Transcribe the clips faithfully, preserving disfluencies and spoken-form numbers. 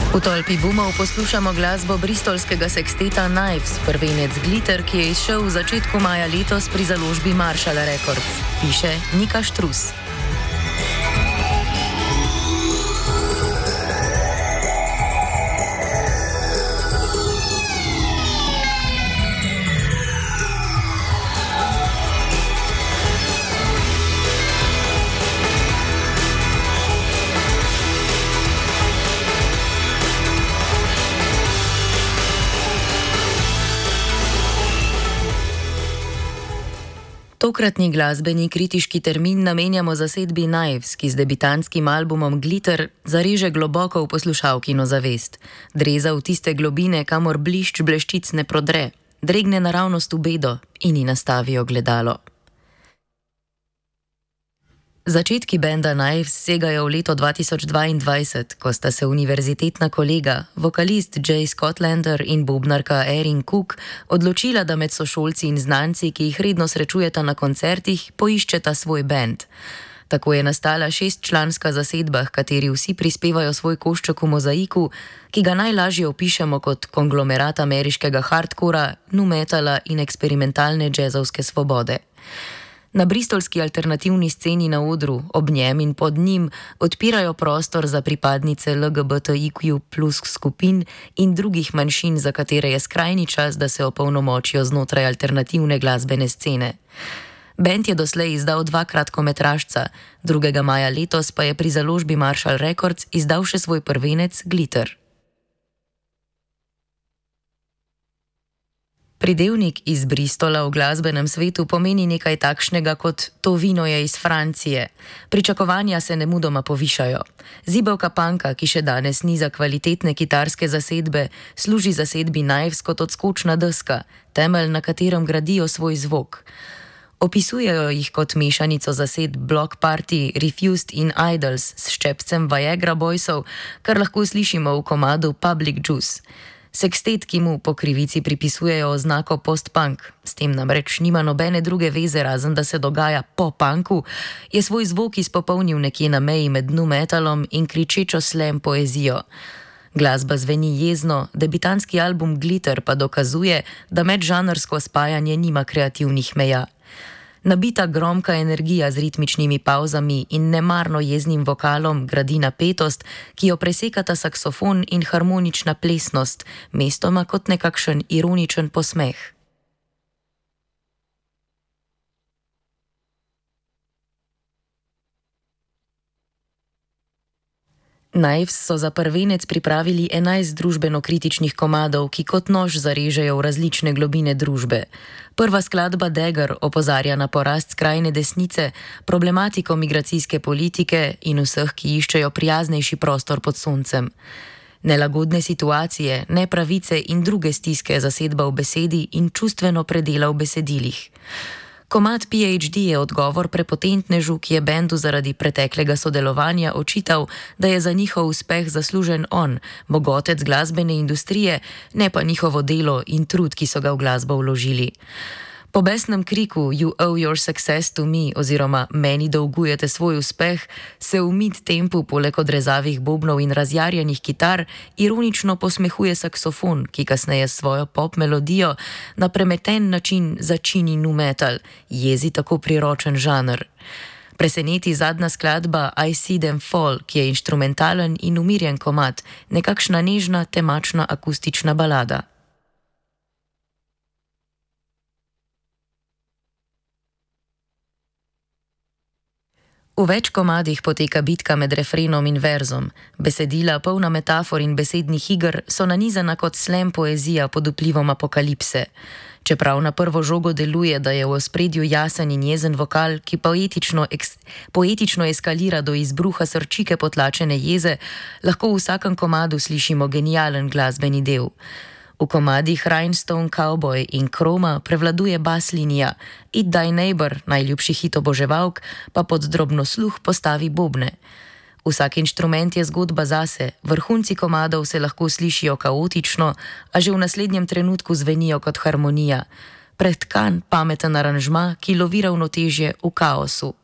V tolpi boomov poslušamo glasbo bristolskega seksteta Knives, prvenec Glitter, ki je izšel v začetku maja letos pri založbi Marshall Records, piše Nika Štrus. Tokratni glasbeni kritiški termin namenjamo zasedbi Knives, ki z debitantskim albumom Glitter zareže globoko v poslušalkino zavest. Dreza v tiste globine, kamor blišč bleščic ne prodre, dregne naravnost v bedo in ji nastavi ogledalo. Začetki benda Knives segajo v leto dva tisoč dvaindvajset, ko sta se univerzitetna kolega, vokalist Jay Scotlander in bobnarka Erin Cook, odločila, da med sošolci in znanci, ki jih redno srečujeta na koncertih, poiščeta svoj bend. Tako je nastala šestčlanska zasedba, v kateri vsi prispevajo svoj košček v mozaiku, ki ga najlažje opišemo kot konglomerat ameriškega hardcora, nu metala in eksperimentalne džezovske svobode. Na bristolski alternativni sceni na odru, ob njem in pod njim, odpirajo prostor za pripadnice L G B T I Q plus skupin in drugih manjšin, za katere je skrajni čas, da se opolnomočijo znotraj alternativne glasbene scene. Bend je doslej izdal dva kratkometražca, drugega maja letos pa je pri založbi Marshall Records izdal še svoj prvenec Glitter. Pridevnik iz Bristola v glasbenem svetu pomeni nekaj takšnega kot to vino je iz Francije. Pričakovanja se nemudoma povišajo. Zibelka punka, ki še danes niza kvalitetne kitarske zasedbe, služi zasedbi Knives kot odskočna deska, temelj, na katerem gradijo svoj zvok. Opisujejo jih kot mešanico zasedb Block Party, Refused in Idols s ščepcem Viagra Boysov, kar lahko slišimo v komadu Public Juice. Sekstet, ki mu po krivici pripisujejo oznako post-punk, s tem namreč nima nobene druge veze, razen da se dogaja po punku, je svoj zvok izpopolnil nekje na meji med nu metalom in kričečo slam poezijo. Glasba zveni jezno, debitantski album Glitter pa dokazuje, da medžanrsko spajanje nima kreativnih meja. Nabita gromka energija z ritmičnimi pavzami in nemarno jeznim vokalom gradi napetost, ki jo presekata saksofon in harmonična plesnost, mestoma kot nekakšen ironičen posmeh. Knives so za prvenec pripravili enajst družbeno-kritičnih komadov, ki kot nož zarežejo v različne globine družbe. Prva skladba Dagger opozarja na porast skrajne desnice, problematiko migracijske politike in vseh, ki iščejo prijaznejši prostor pod soncem. Nelagodne situacije, nepravice in druge stiske zasedba v besedi in čustveno predela v besedilih. Komad P H D je odgovor prepotentnežu, ki je bendu zaradi preteklega sodelovanja očital, da je za njihov uspeh zaslužen on, mogotec glasbene industrije, ne pa njihovo delo in trud, ki so ga v glasbo vložili. Po besnem kriku You owe your success to me oziroma meni dolgujete svoj uspeh, se v mid-tempu poleg odrezavih bobnov in razjarjenih kitar ironično posmehuje saksofon, ki kasneje s svojo pop melodijo na premeten način začini nu metal, jezi tako priročen žanr. Preseneti zadnja skladba I See Them Fall, ki je inštrumentalen in umirjen komad, nekakšna nežna temačna akustična balada. V več komadih poteka bitka med refrenom in verzom. Besedila, polna metafor in besednih iger, so nanizana kot slam poezija pod vplivom apokalipse. Čeprav na prvo žogo deluje, da je v ospredju jasen in jezen vokal, ki poetično, eks, poetično eskalira do izbruha srčike potlačene jeze, lahko v vsakem komadu slišimo genijalen glasbeni del. V komadih Rhinestone Cowboy in Chroma prevladuje bas linija, Eat Thy Neighbor, najljubši hit oboževalk, pa pod drobno sluh postavi bobne. Vsak inštrument je zgodba zase, vrhunci komadov se lahko slišijo kaotično, a že v naslednjem trenutku zvenijo kot harmonija. Pretkan, pameten aranžma, ki lovi ravnotežje v kaosu.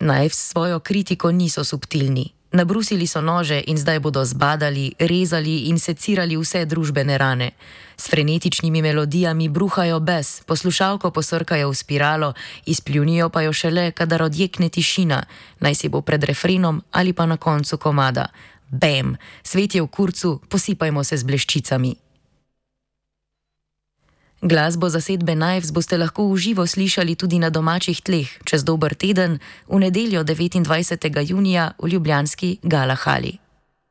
Knives svojo kritiko niso subtilni. Nabrusili so nože in zdaj bodo zbadali, rezali in secirali vse družbene rane. S frenetičnimi melodijami bruhajo bes, poslušalko posrkajo v spiralo, izpljunijo pa jo šele, kadar odjekne tišina, naj si bo pred refrenom ali pa na koncu komada. Bam! Svet je v kurcu, posipajmo se z bleščicami. Glasbo zasedbe Knives boste lahko v živo slišali tudi na domačih tleh čez dober teden, v nedeljo devetindvajsetega junija v ljubljanski Gala hali.